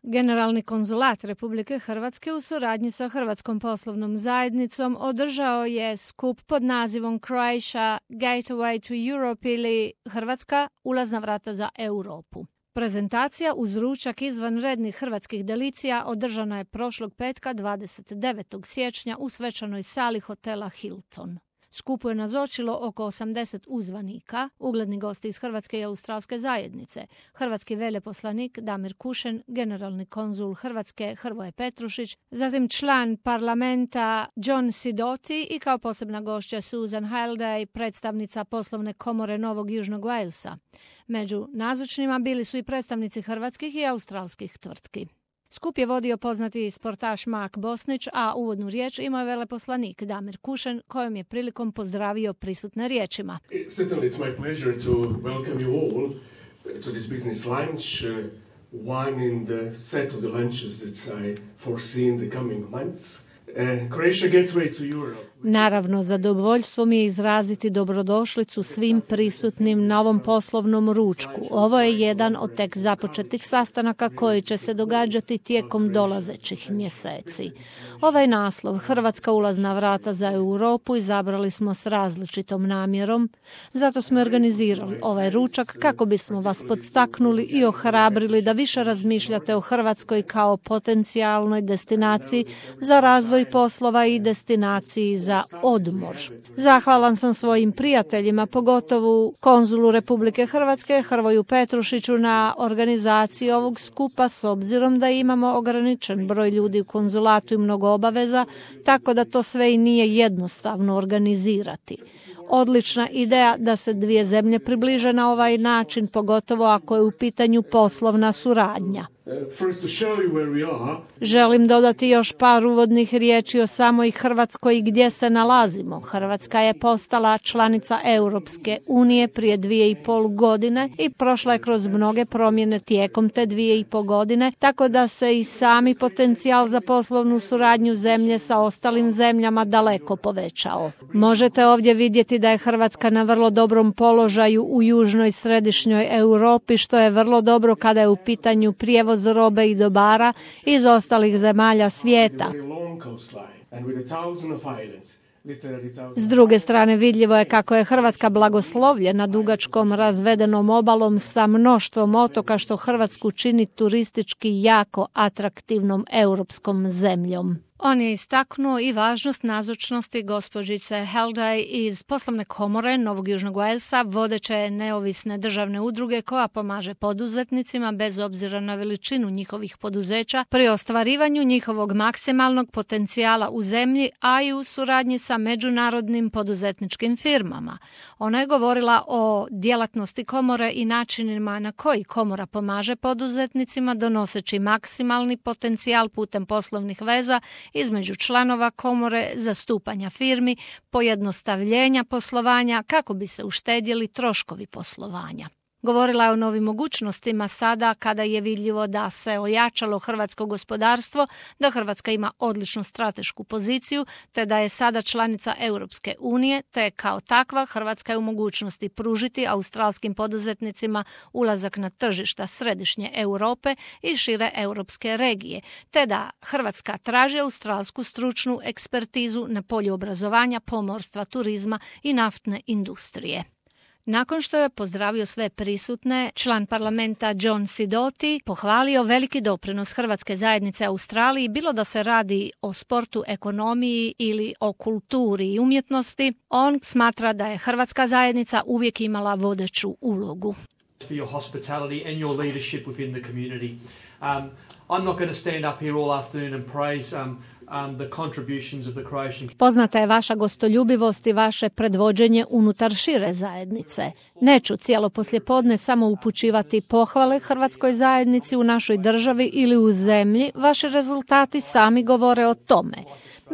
Generalni konzulat Republike Hrvatske u suradnji sa Hrvatskom poslovnom zajednicom održao je skup pod nazivom Croatia Gateway to Europe ili Hrvatska ulazna vrata za Europu. Prezentacija uz ručak izvanrednih hrvatskih delicija održana je prošlog petka 29. siječnja u svečanoj sali hotela Hilton. Skupu je nazočilo oko 80 uzvanika, ugledni gosti iz Hrvatske i Australske zajednice, hrvatski veleposlanik Damir Kušen, generalni konzul Hrvatske Hrvoje Petrušić, zatim član parlamenta John Sidoti i kao posebna gošća Susan Halliday, predstavnica poslovne komore Novog Južnog Walesa. Među nazočnima bili su i predstavnici hrvatskih i australskih tvrtki. Skup je vodio poznati sportaš Mark Bosnić, a uvodnu riječ imao je veleposlanik Damir Kušen, kojom je prilikom pozdravio prisutne riječima. Certainly it's my pleasure to welcome you all to this business lunch, one in the set of the lunches that I foresee in the coming months. Croatia Gateway to Europe. Naravno, zadovoljstvo mi je izraziti dobrodošlicu svim prisutnim na ovom poslovnom ručku. Ovo je jedan od tek započetih sastanaka koji će se događati tijekom dolazećih mjeseci. Ovaj naslov, Hrvatska ulazna vrata za Europu, izabrali smo s različitom namjerom. Zato smo organizirali ovaj ručak kako bismo vas podstaknuli i ohrabrili da više razmišljate o Hrvatskoj kao potencijalnoj destinaciji za razvoj poslova i destinaciji za odmor. Zahvalan sam svojim prijateljima, pogotovo konzulu Republike Hrvatske Hrvoju Petrušiću na organizaciji ovog skupa s obzirom da imamo ograničen broj ljudi u konzulatu i mnogo obaveza, tako da to sve i nije jednostavno organizirati. Odlična ideja da se dvije zemlje približe na ovaj način, pogotovo ako je u pitanju poslovna suradnja. Želim dodati još par uvodnih riječi o samoj Hrvatskoj i gdje se nalazimo. Hrvatska je postala članica Europske unije prije 2,5 godine i prošla je kroz mnoge promjene tijekom te 2,5 godine, tako da se i sami potencijal za poslovnu suradnju zemlje sa ostalim zemljama daleko povećao. Možete ovdje vidjeti da je Hrvatska na vrlo dobrom položaju u južnoj i središnjoj Europi, što je vrlo dobro kada je u pitanju prijevoz robe i dobara iz ostalih zemalja svijeta. S druge strane, vidljivo je kako je Hrvatska blagoslovljena dugačkom razvedenom obalom sa mnoštvom otoka, što Hrvatsku čini turistički jako atraktivnom europskom zemljom. On je istaknuo i važnost nazočnosti gospođice Halliday iz poslovne komore Novog Južnog Walesa, vodeće neovisne državne udruge koja pomaže poduzetnicima bez obzira na veličinu njihovih poduzeća pri ostvarivanju njihovog maksimalnog potencijala u zemlji, a i u suradnji sa međunarodnim poduzetničkim firmama. Ona je govorila o djelatnosti komore i načinima na koji komora pomaže poduzetnicima donoseći maksimalni potencijal putem poslovnih veza između članova komore, zastupanja firmi, pojednostavljenja poslovanja kako bi se uštedjeli troškovi poslovanja. Govorila je o novim mogućnostima sada kada je vidljivo da se ojačalo hrvatsko gospodarstvo, da Hrvatska ima odličnu stratešku poziciju, te da je sada članica Europske unije, te kao takva Hrvatska je u mogućnosti pružiti australskim poduzetnicima ulazak na tržišta središnje Europe i šire europske regije, te da Hrvatska traži australsku stručnu ekspertizu na polju obrazovanja, pomorstva, turizma i naftne industrije. Nakon što je pozdravio sve prisutne, član parlamenta John Sidoti pohvalio veliki doprinos Hrvatske zajednice Australiji, bilo da se radi o sportu, ekonomiji ili o kulturi i umjetnosti. On smatra da je Hrvatska zajednica uvijek imala vodeću ulogu. For your hospitality and your leadership within the community. I'm not going to stand up here all afternoon and praise the contributions of the Croatian. Poznata je vaša gostoljubivost i vaše predvođenje unutar šire zajednice. Neću cijelo poslijepodne samo upućivati pohvale Hrvatskoj zajednici u našoj državi ili u zemlji, vaši rezultati sami govore o tome.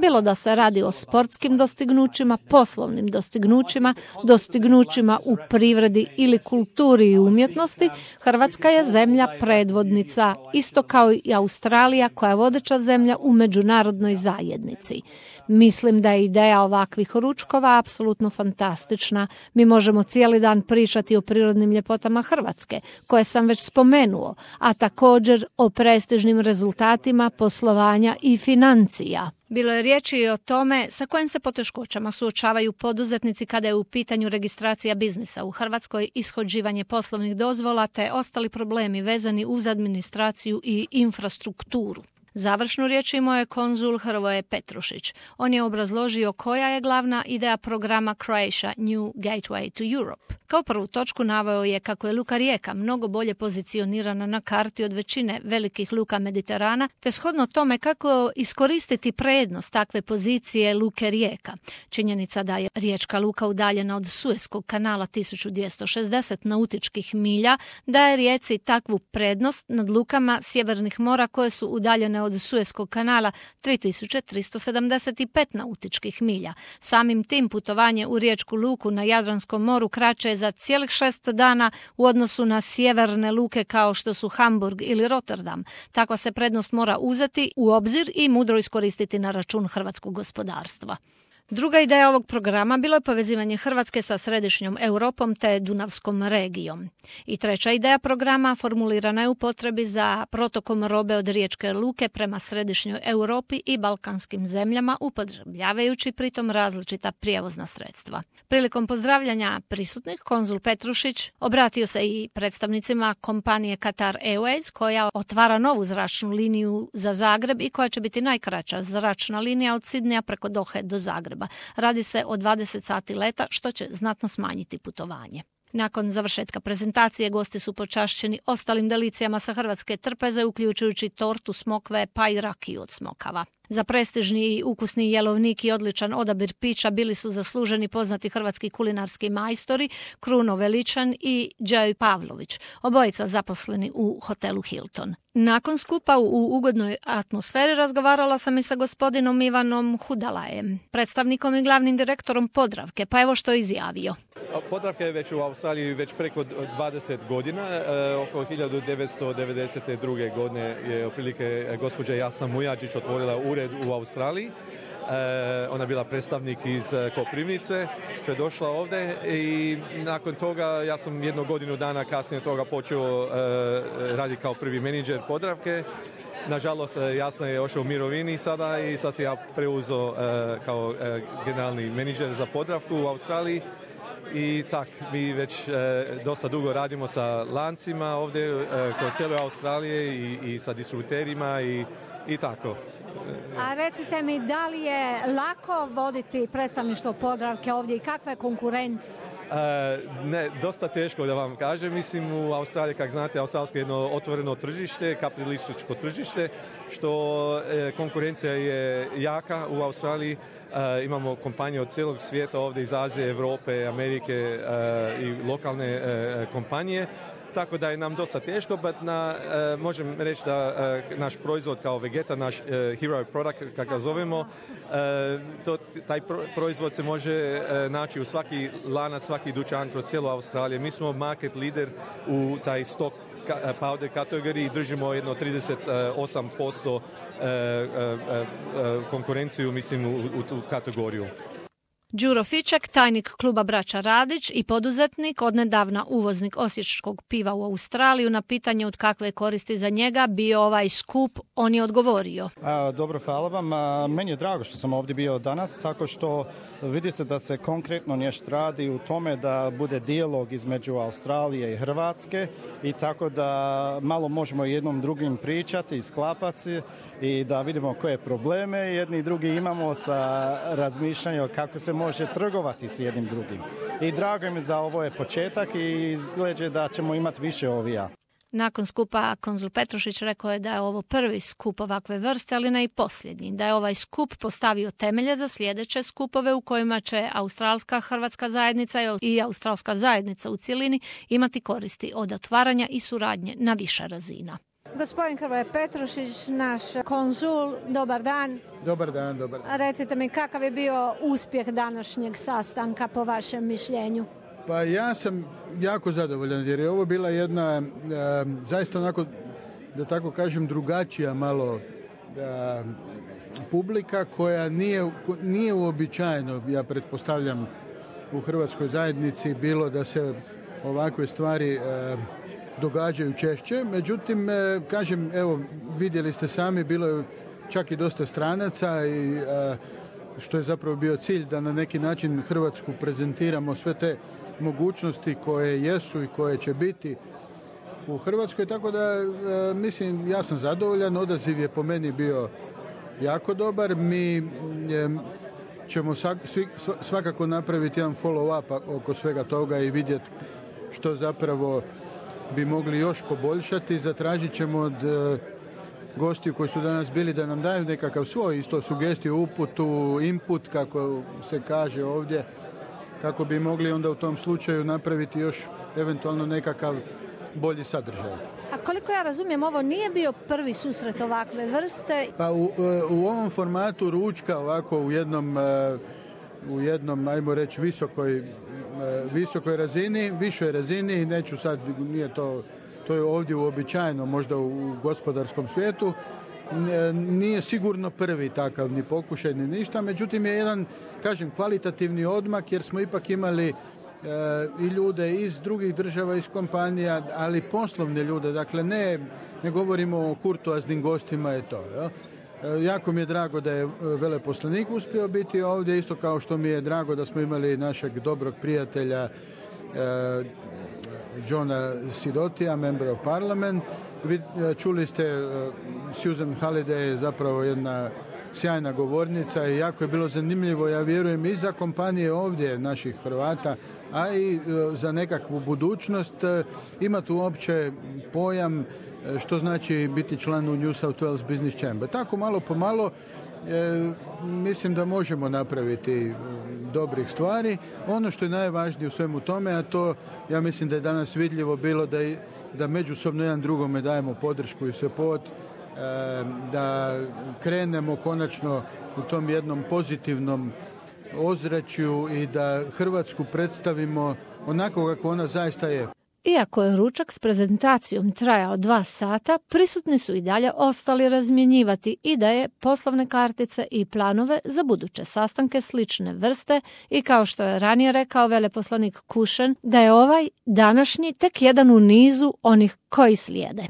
bilo da se radi o sportskim dostignućima, poslovnim dostignućima u privredi ili kulturi i umjetnosti, Hrvatska je zemlja predvodnica, isto kao i Australija koja je vodeća zemlja u međunarodnoj zajednici. Mislim da je ideja ovakvih ručkova apsolutno fantastična. Mi možemo cijeli dan pričati o prirodnim ljepotama Hrvatske, koje sam već spomenuo, a također o prestižnim rezultatima poslovanja i financija. Bilo je riječi i o tome sa kojim se poteškoćama suočavaju poduzetnici kada je u pitanju registracija biznisa u Hrvatskoj, ishođivanje poslovnih dozvola te ostali problemi vezani uz administraciju i infrastrukturu. Završnu riječ imao je konzul Hrvoje Petrušić. On je obrazložio koja je glavna ideja programa Croatia New Gateway to Europe. Kao prvu točku naveo je kako je luka Rijeka mnogo bolje pozicionirana na karti od većine velikih luka Mediterana, te shodno tome kako iskoristiti prednost takve pozicije luke Rijeka. Činjenica da je riječka luka udaljena od Sueskog kanala 1260 nautičkih milja daje Rijeci takvu prednost nad lukama sjevernih mora koje su udaljene od Sueskog kanala 3375 nautičkih milja. Samim tim putovanje u riječku luku na Jadranskom moru kraće je za cijelih 6 dana u odnosu na sjeverne luke kao što su Hamburg ili Rotterdam. Takva se prednost mora uzeti u obzir i mudro iskoristiti na račun hrvatskog gospodarstva. Druga ideja ovog programa bilo je povezivanje Hrvatske sa središnjom Europom te Dunavskom regijom. I treća ideja programa formulirana je u potrebi za protokom robe od riječke luke prema središnjoj Europi i balkanskim zemljama, upotrebljavajući pritom različita prijevozna sredstva. Prilikom pozdravljanja prisutnih, konzul Petrušić obratio se i predstavnicima kompanije Qatar Airways, koja otvara novu zračnu liniju za Zagreb i koja će biti najkraća zračna linija od Sidneja preko Dohe do Zagreba. Radi se o 20 sati leta, što će znatno smanjiti putovanje. Nakon završetka prezentacije gosti su počašćeni ostalim delicijama sa hrvatske trpeze, uključujući tortu smokve pa i rakiju od smokava. Za prestižni i ukusni jelovnik i odličan odabir pića bili su zasluženi poznati hrvatski kulinarski majstori Kruno Veličan i Đaj Pavlović, obojica zaposleni u hotelu Hilton. Nakon skupa u ugodnoj atmosferi razgovarala sam i sa gospodinom Ivanom Hudalajem, predstavnikom i glavnim direktorom Podravke, pa evo što je izjavio. Podravka je već u Australiji već preko 20 godina. Oko 1992. godine je otprilike gospođa Jasna Mujačić otvorila ured u Australiji. Ona je bila predstavnik iz Koprivnice, što je došla ovdje i nakon toga ja sam 1 godinu dana kasnije toga počeo raditi kao prvi menadžer Podravke. Nažalost, Jasna je ošao u mirovini sada i sad sam ja preuzeo kao generalni menadžer za Podravku u Australiji. I tak, mi već dosta dugo radimo sa lancima ovdje kroz cijelu Australije i sa distributerima i tako. A recite mi, da li je lako voditi predstavništvo Podravke ovdje i kakva je konkurencija? Ne, dosta teško da vam kažem. Mislim, u Australiji, kako znate, australsko je jedno otvoreno tržište, kapitalističko tržište, što konkurencija je jaka u Australiji. Imamo kompanije od cijelog svijeta ovdje iz Azije, Europe, Amerike i lokalne kompanije. Tako da je nam dosta teško, možem reći da naš proizvod kao Vegeta, naš hero product, kako ga zovemo, taj proizvod se može naći u svaki lanac, svaki dućan kroz cijelu Australiju. Mi smo market leader u taj stock powder kategoriji, držimo jedno 38% konkurenciju, mislim, u tu kategoriju. Đuro Fiček, tajnik kluba Braća Radić i poduzetnik, odnedavna uvoznik osječkog piva u Australiju, na pitanje od kakve koristi za njega bio ovaj skup, on je odgovorio. Dobro, hvala vam. Meni je drago što sam ovdje bio danas, tako što vidi se da se konkretno nešto radi u tome da bude dijalog između Australije i Hrvatske i tako da malo možemo jednom drugim pričati i sklapati i da vidimo koje probleme jedni i drugi imamo sa razmišljanjem kako se može trgovati s jednim drugim. I drago mi za ovo je početak i izgleda da ćemo imati više ovija. Nakon skupa konzul Petrušić rekao je da je ovo prvi skup ovakve vrste, ali ne i posljednji. Da je ovaj skup postavio temelje za sljedeće skupove u kojima će australska hrvatska zajednica i australska zajednica u cjelini imati koristi od otvaranja i suradnje na više razina. Gospodin Hrvoje Petrušić, naš konzul, dobar dan. Dobar dan, dobar dan. Recite mi, kakav je bio uspjeh današnjeg sastanka po vašem mišljenju? Pa ja sam jako zadovoljan jer je ovo bila jedna zaista onako, da tako kažem, drugačija malo publika koja nije uobičajeno, ja pretpostavljam, u hrvatskoj zajednici bilo da se ovakve stvari događaju češće. Međutim, kažem, evo, vidjeli ste sami, bilo je čak i dosta stranaca i što je zapravo bio cilj da na neki način Hrvatsku prezentiramo sve te mogućnosti koje jesu i koje će biti u Hrvatskoj, tako da mislim, ja sam zadovoljan, odaziv je po meni bio jako dobar. Mi ćemo svakako napraviti jedan follow-up oko svega toga i vidjeti što zapravo bi mogli još poboljšati. Zatražit ćemo od gostiju koji su danas bili da nam daju nekakav svoj isto sugestiju, uputu, input, kako se kaže ovdje, kako bi mogli onda u tom slučaju napraviti još eventualno nekakav bolji sadržaj. A koliko ja razumijem, ovo nije bio prvi susret ovakve vrste? Pa u ovom formatu ručka ovako u jednom, ajmo reći, visokoj razini, višoj razini, neću sad, nije to je ovdje uobičajeno, možda u gospodarskom svijetu, nije sigurno prvi takav ni pokušaj ni ništa, međutim je jedan, kažem, kvalitativni odmak jer smo ipak imali i ljude iz drugih država, iz kompanija, ali poslovne ljude, dakle ne govorimo o kurtoaznim gostima, je to. Jel? Jako mi je drago da je veleposlanik uspio biti ovdje, isto kao što mi je drago da smo imali našeg dobrog prijatelja Johna Sidotija, Member of Parliament. Čuli ste, Susan Halliday je zapravo jedna sjajna govornica i jako je bilo zanimljivo, ja vjerujem, i za kompanije ovdje naših Hrvata, a i za nekakvu budućnost imati uopće pojam što znači biti član u New South Wales Business Chamber. Tako malo po malo mislim da možemo napraviti dobrih stvari. Ono što je najvažnije u svemu tome, a to ja mislim da je danas vidljivo bilo da međusobno jedan drugome dajemo podršku i support, da krenemo konačno u tom jednom pozitivnom ozračju i da Hrvatsku predstavimo onako kako ona zaista je. Iako je ručak s prezentacijom trajao 2 sata, prisutni su i dalje ostali razmjenjivati ideje, poslovne kartice i planove za buduće sastanke slične vrste i kao što je ranije rekao veleposlanik Kušen, da je ovaj današnji tek jedan u nizu onih koji slijede.